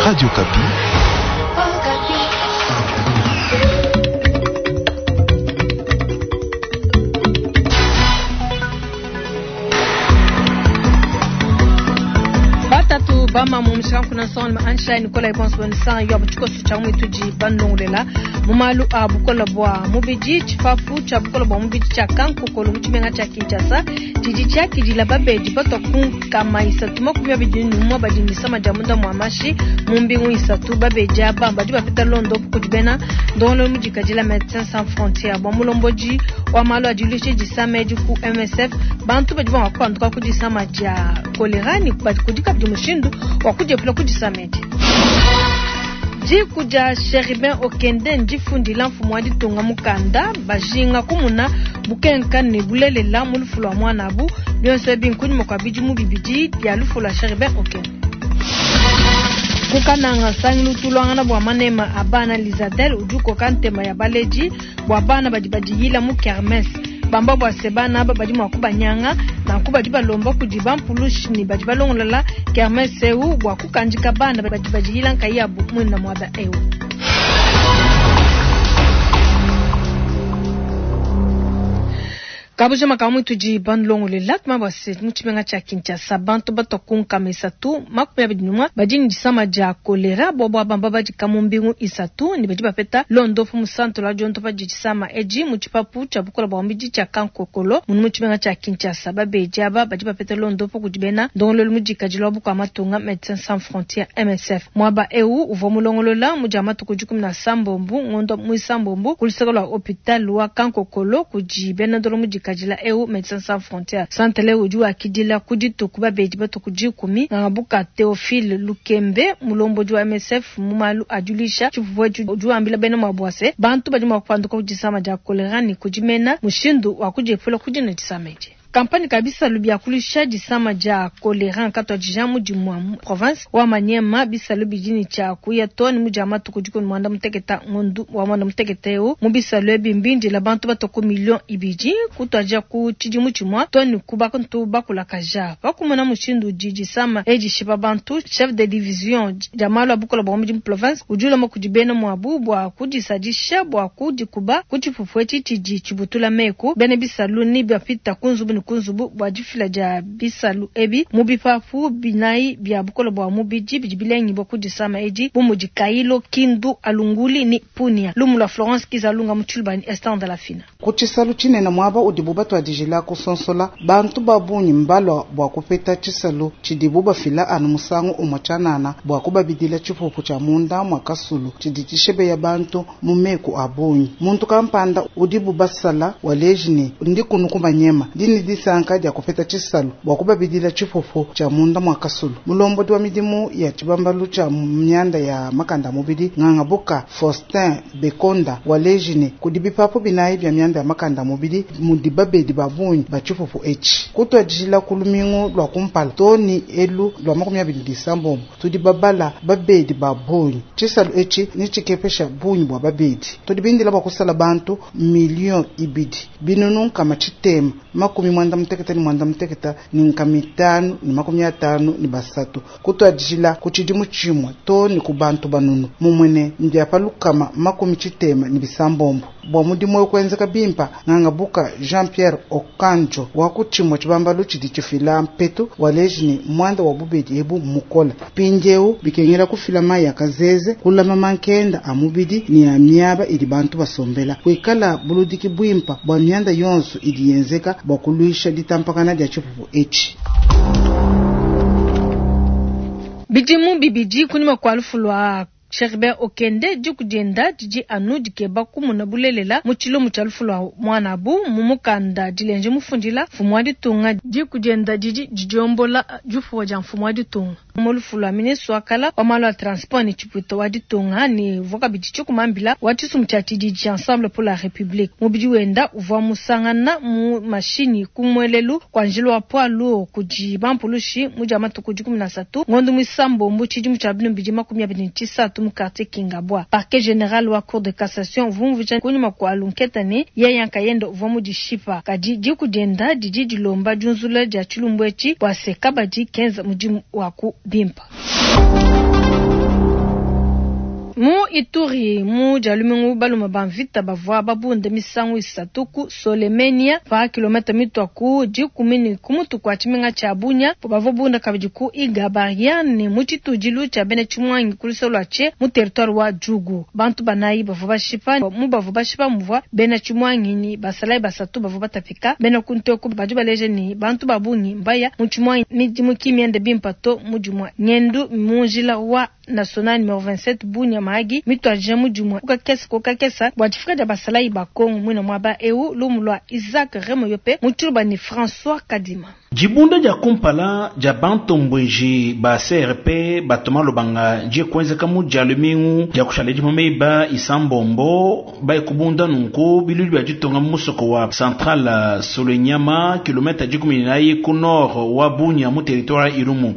Radio Okapi. Batatu bamamu mushikanku nsonga ne ansha Nicolas bonso banisanga yo tshikoso tshia muitudi bandongolela mu malu a bukola bua mubidi tshipapu tshia bukola bua mubidi tshia kankokolo mu tshimenga tshia Kinshasa tshidi tshiakidila babedi batua ku nkama 321 badi ne disama dia munda mua mashi mu mbingu 3. Babedi aba badi bapeta londopu kudi bena ndongoluelu mudikadila Medecins Sans Frontieres. Bua mulombodi wa malu a diluisha disama edi ku MSF, bantu badi mua kupanduka ku disama dia kolera ne kudi kabidi mushindu wa kudiepula ku disama edi. Diku dia Cherubin Okende ndifundila mfumu wa ditunga mukanda, bajinga kumuna bukenka ne bulelela mu lufu lua muanabu. Bionso ebi nkunyima kua bidimu 2 bia lufu lua Cherubin Okende. Ku Kananga, nsangilu utuluangana bua manema a bana Lizadel udi ukoka ntema ya baledi bua bana badi badiyila mu kermesse. Bamba bua se bana aba badi mua kubanyanga, nanku badi balomba kudi bampulushi ne badi balongolola kermesse eu bua kukandika bana badi badiyila nkayabu muina muaba eu. Kabujima ka muitudi bandongolela tuma bua se mu tshimenga tshia Kinshasa bantu batua ku nkama 321 badi ne disama dia kolera bobo bamba badika mu mbingu 3 ne badi bapeta londopu mu centre la diondopa di disama edi mu tshipapu tshia bukola bua mubidi tshia Kankokolo munu mu tshimenga tshia Kinshasa. Babedi aba badi bapeta londopu kudi bena ndongoluelu mudikadile wa bukua matunga Medecins Sans Frontieres MSF. Muaba eu uvua mulongolola mu dia matuku 17 ngondo muisambombo ku luseke lua hopital wa Kankokolo kudi bena ndongoluelu mudikadile eu Medecins Sans Frontieres. Centre udi wakidila ku dituku babedi batuku 10. Ngangabuka Theophile Lukembe mulombodi wa MSF mu malu a diluisha tshipupu etshi udi wambila bena muabu se bantu badi mua kupanduka ku disama dia kolera ne kudimena mushindu wa kudiepula ku dina disama edi. Kampani ka bisalu bia kulusha disama dia kolera nkatuadija mudimu wa mu province wa Maniema. Bisalu bidi ne tshia kuya too ne mu dia matuku 16 ngondu wa 16 eu. Mu bisalu ebi mbindila bantu batua ku miliyoni 2 kutuadija ku tshidimu tshimue too ne ku bantu bakulakaja. Pakumona mushindu udi disama edi shipa bantu, chef de division dia malu a bukola bua mubidi mu province udi ulomba kudi bena muabu bua kudisadisha bua kudikuba ku tshipupu etshi tshidi tshibutula meku. Bena bisalu ne bapita ku nzubu ne ku nzubu bua difila dia bisalu ebi mu bipapu 4 bia bukola bua mubidi bidi bilengibua ku disama edi bu mudi Kailo, Kindu, Alunguli ne Punia. Lumu lua Florence Kizalunga mu Tshilubani, Esther Ndalafina. Ku tshisalu tshinene muaba udibu batuadijila kusonsola bantu ba bungi mbalua bua kupeta tshisalu tshidibu bafila anu musangu umue tshianana bua kubabidila tshipupu tshia munda mua kasulu tshidi tshishebeya bantu mu meku a bungi. Muntu kampanda udibu basala waleji ne ndi kunu kumanyema ndi ne disanka dia kupeta tshisalu bua kubabidila tshipupu tshia munda mua kasulu. Mulombodi wa midimu ya tshibambalu tshia mianda ya makanda a mubidi Ngangabuka Faustin Bekonda waleji ne kudi bipapu 4 bia mianda ya makanda a mubidi mudi babedi ba bungi ba tshipupu etshi. Kutuadijila ku lumingu lua kumpala too ne elu lua 29 tudi babala babedi ba bungi. Tshisalu etshi netshikepesha bungi bua babedi. Tudi bindila bua kusala bantu miliyoni 2 686 553 kutuadijila ku tshidimu tshimue too ne ku bantu banunu mumue ne mbia pa 676. Bua mudimu eu kuenzeka bimpa, Ngangabuka Jean-Pierre Okanjo wa ku tshimue tshibambalu tshidi tshifila mpetu waleji ne muanda wa bubedi ebu mmukola. Mpindieu bikengela kufila mayi ya kazeze, kulama mankenda a mubidi ne a miaba idi bantu basombela, kuikala buludiki buimpa bua mianda yonso idi yenzeka bua kuluisha ditampakana dia tshipupu etshi. Bidimu 2 kunyima kua lufu lua Cherubin Okende, diku dienda didi anu dikeba kumuna bulelela mu tshilomo tshia lufu lua muanabu. Mu mukanda dilenje mufundila mfumu wa ditunga, diku dienda didi didiombola difuwa dia mfumu wa ditunga. Mu lufu lua ministre wa kala wa malu a transport ne tshipuita wa ditunga ne uvua kabidi tshikumambila wa tshisumbu tshia tshididi tshia Ensemble pour la République. Mubidi wenda uvua musangana mu mashinyi ku muelelu kwa njila wa poids lourd kudi bampulushi mu dia matuku 13 ngondo muisambombo tshidimu tshia 2023 mu quartier Kingabwa. Parquet général wa cour de cassation uvumvuija kunyima kua lunketa ne yeye nkayende uvua mudishipa. Kadi diku dienda didi dilomba diunzula dia tshilumbu etshi bua se kabadi kenza mudimu wa ku bimpa. Mu Ituri, mu Dia lumingu balume ba mvita bavua babunde misangu isatu ku Solemenia pa kilometa mitua ku dikumi ne ku mutu kua tshimenga tshia Bunia. Bavua bunda kabidi ku Igabaria ne mu tshitudilu tshia bena tshimuangi ku luseke lua Tche mu territoire wa Djugu. Bantu banayi bavua bashipa, mu bavua bashipa muvua bena tshimuangi ne basalayi basatu bavua batapika. Bena kuntu eku badi baleja ne bantu ba bungi mbaya mu tshimuangi midimu ki miende bimpe to mu dimue ngendu mu njila wa national numero 27 Bunia Mahagi mituadija mu dimue ku kakese ku kakese bua difika dia basalayi ba Kongo muine muaba eu. Lumu lua Isaac Remoyope mu tshiluba ne François Kadima. Dibunda dia kumpala dia bantombueji ba CRP batoma lubanga die kuenzeka mu dia lumingu dia kushala dima meba isambombo baye kubunda nunku bilulu bia ditunga mu musoko wa Central Solenyama kilomita 14 ku nord wa Bunia mu territoire Irumu.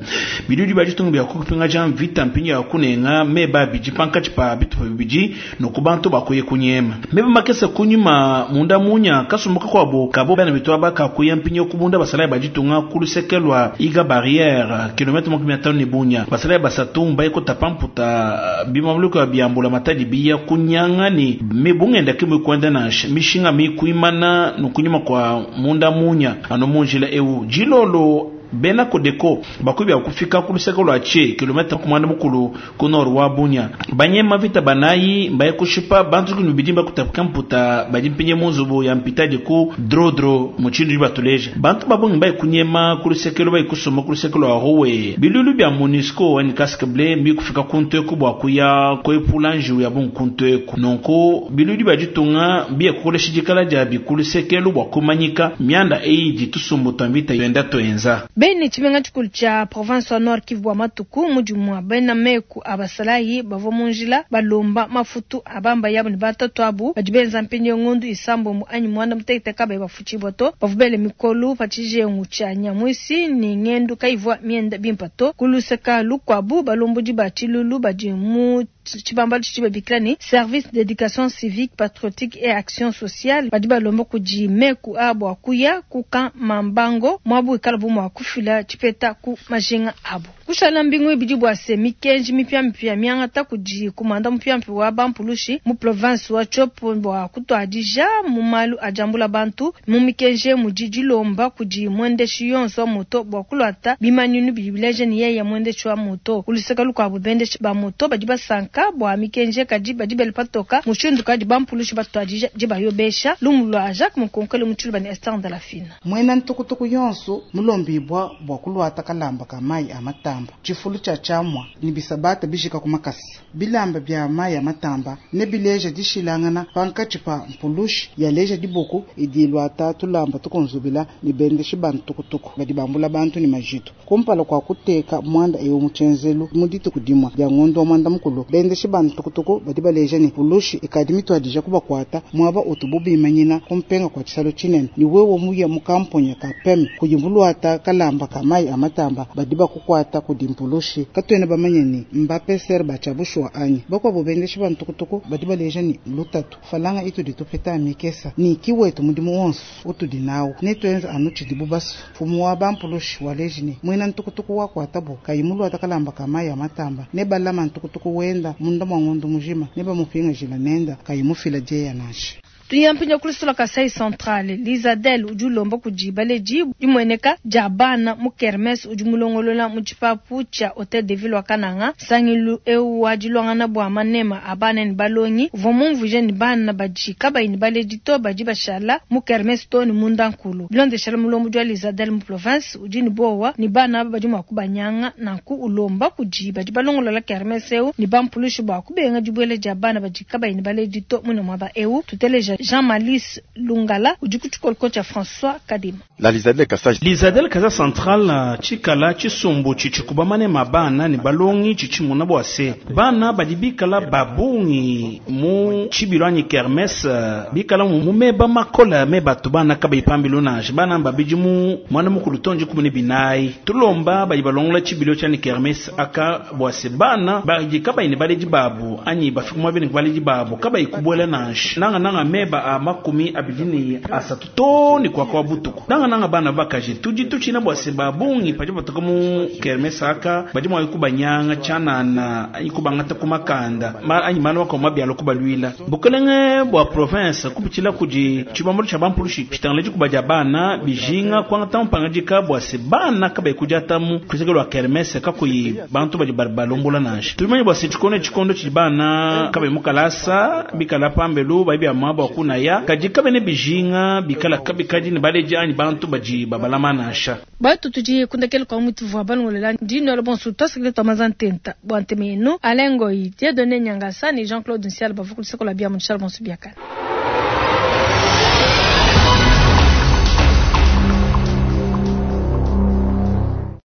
Bilulu bia ditunga bia kupingaja mvita mpinga ya kunenga meba bidi pankatshi pa bitupa bibidi nuku bantu bakuye kunyema. Meba makese kunyuma munda munya kasumbuka kwabo kabo bana bitwa bakakuya mpinga kubunda basalayi ba ditunga ku luseke lwa Iga Barrière kilomita 50 ne Bunia. Basalayi basatu mbaye kutapa mputa bimamuluko ya biambula matadi biya kunyanga ni mibungenda kimwe kwenda nansha mishinga mikuimana nukunyuma kwa munda munya ano munjila eu jilolo bena Kodeko bakubya kufika ku luseke lwa Tche kilomita kumanda mukulu ku nord wa Bunia. Banyema vita banayi mbaye kushipa bantu kunu bidimba kutapika mputa badi mpinye munzubu ya mpitadi ku drodro muchindu batuleja. Bantu babongi mbaye kunyema ku luseke lwa kusoma ku luseke lwa Rowe. Bilulu bya MONUSCO en casque bleu mbi kufika kuntu ku bwa kuya kwepula njiu ya bunkuntu eku. Nonko bilulu bya ditunga biye kukolesha dikala dia bi ku luseke lwa kumanyika mianda eyi ditusumbu twambita yenda toenza. Beni tshimenga tshikulu tshia province wa Nord Kivu bua matuku mudimu wa bena meku abasalayi bavua mu njila balomba mafutu abamba yabo ne batatu abu badi benza mpindieu ngondu isambombo anyi muanda mutekete kabayi bafutshibua to bavua bele mikolu pa tshijengu tshia Nyamwisi ne ngendu kayivua mienda bimpe to. Ku luseka lukuabu balombodi ba tshilulu badi mu tshibambalu tshidi babikila ne service d'éducation civique patriotique et action sociale badi balomba kudi meku abu akuya kuka mambango mwabu ikala bu mwa kufila tshipeta ku majinga abu. Kushala mbingu ibidi bua se mikenji mipya miangata kudi kumanda mupya wa bampulushi mu province wa Tshopo bua kutuadija mu malu ajambula bantu mu mikenji mudi dilomba kudi mwendeshi yonso wa moto bua kulwata bimanyinu bibileje ni yeye mwendeshi wa moto. Uluseka lukuabu bendeshi ba moto badi basanka bua mikenji kadi badi bele patoka mushindu kadi bampulushi batuadija dibayobesha lumu lwa Jacques Mukonkole mu tshiluba ne Esther Ndalafina. Mwena ntukutuku yonso mulombibwa bua kulwata kalamba ka mayi a matamba tshifulu tshia tshiamua ni bisabata bijika ku makasa bilamba bia mayi a matamba ne bileja dishilangana pankatshi pa mpulushi yaleja diboko idi lwata tulamba tukonzubila ni bendeshi ba ntukutuku badi bambula bantu ni majitu kumpala kwa kuteka mwanda ewu mu tshenzelu mu dituku dimua dia ngondo wa mwanda mukulu bendeshi ba ntukutuku badi baleja ni pulushi ikadi mituadija kubakwata mwaba utubu bimanyina kumpenga kwa tshisalo tshinene ni wewe muya mu kamponya ka peme kuyimbulwata kalamba ka mayi a matamba badi bakukwata kudi mpulushi katwene bamanye ni mbapeser bachabushwa anyi bakwabo bendeshi ba ntukutuku badi baleja ni lutatu falanga itudi tupeta mikesa ni kiwetu mudimu wonso utudi nawo netwenza anu tshidibu basu fumu wa bampulushi waleji ni mwena ntukutuku wakwatabo kayimulwata kalamba ka mayi a matamba ne balama ntukutuku wenda munda mwa ngondo mujima ne bamupinga jila nenda kayimufila jeya nashi. Tuyampinya kulusula Kasai Central Lizadel udi ulomba kudi baleji dimweneka dia bana mu kermesse udi mulongolola mu tshipapu tshia Hotel de Ville wa Kananga sangilu eu wa dilongana bua manema a bana ne balongi uvua mumvuije ne bana badi kabayi ne baleji to badi bashala mu kermesse to ne munda nkulu bilondeshela mulombo dia Lizadel mu province udi ne bowa ne bana badi mua kubanyanga nanku ulomba kudi badi balongolola kermesse eu ne bampulushi bua kubenga dibuela dia bana badi kabayi ne baleji to muna muaba eu tuteleja Jean Malice Lungala udi ku tshikoloko tshia François Kadima. La Lizadel Kasai Lizadel Kasai Central tshikala tshisumbu tshitshikuba manema bana ne balongi tshitshimuna bua se bana badi bikala babungi mu tshibilo anyi kermesse bikala mu meba makola meba tu bana kabayi pambilo nansha bana babidi mu mwana mukulu tonji kumune binayi tulomba badi balongola tshibilo tshia kermesse aka bua se bana badi kabayi ne baledi babu anyi bafika mu bene baledi babu kabayi kubuela nansha nanga nanga meba meba a 23 too ne kuaka wa butuku. Nangananga bana bakaji tudi tutshina bua se ba bungi padi batoka mu kermesse aka badi mua kubanyanga tshianana anyi kubangata ku makanda anyi malu makuabu mabi alua kubaluila. Bukelenge bua province kupitshila kudi tshibambalu tshia bampulushi tshitangila dikuba dia bana bijinga kuangata mpangadika bua se bana kabayi kudiatamu luseke lua kermesse kakuyi bantu badi balombola nansha. Tumanye bua se tshikondo tshikondo tshidi bana kabayi mu kalasa bikala pambelu bayi bia muaba wa kunaya kadi kabene bijinga bikala kabikadi ne baledi anyi bantu badi babalama nansha. Batu tudi kundekela kwa mutu vua balongolela ndi nola bonso twasakile twamaza ntenta bua nteme yenu Alain Ngoyi, Dieudonné Nyangasa ne Jean-Claude Nsiala bavua ku luseke lua bia mu bonso biakane.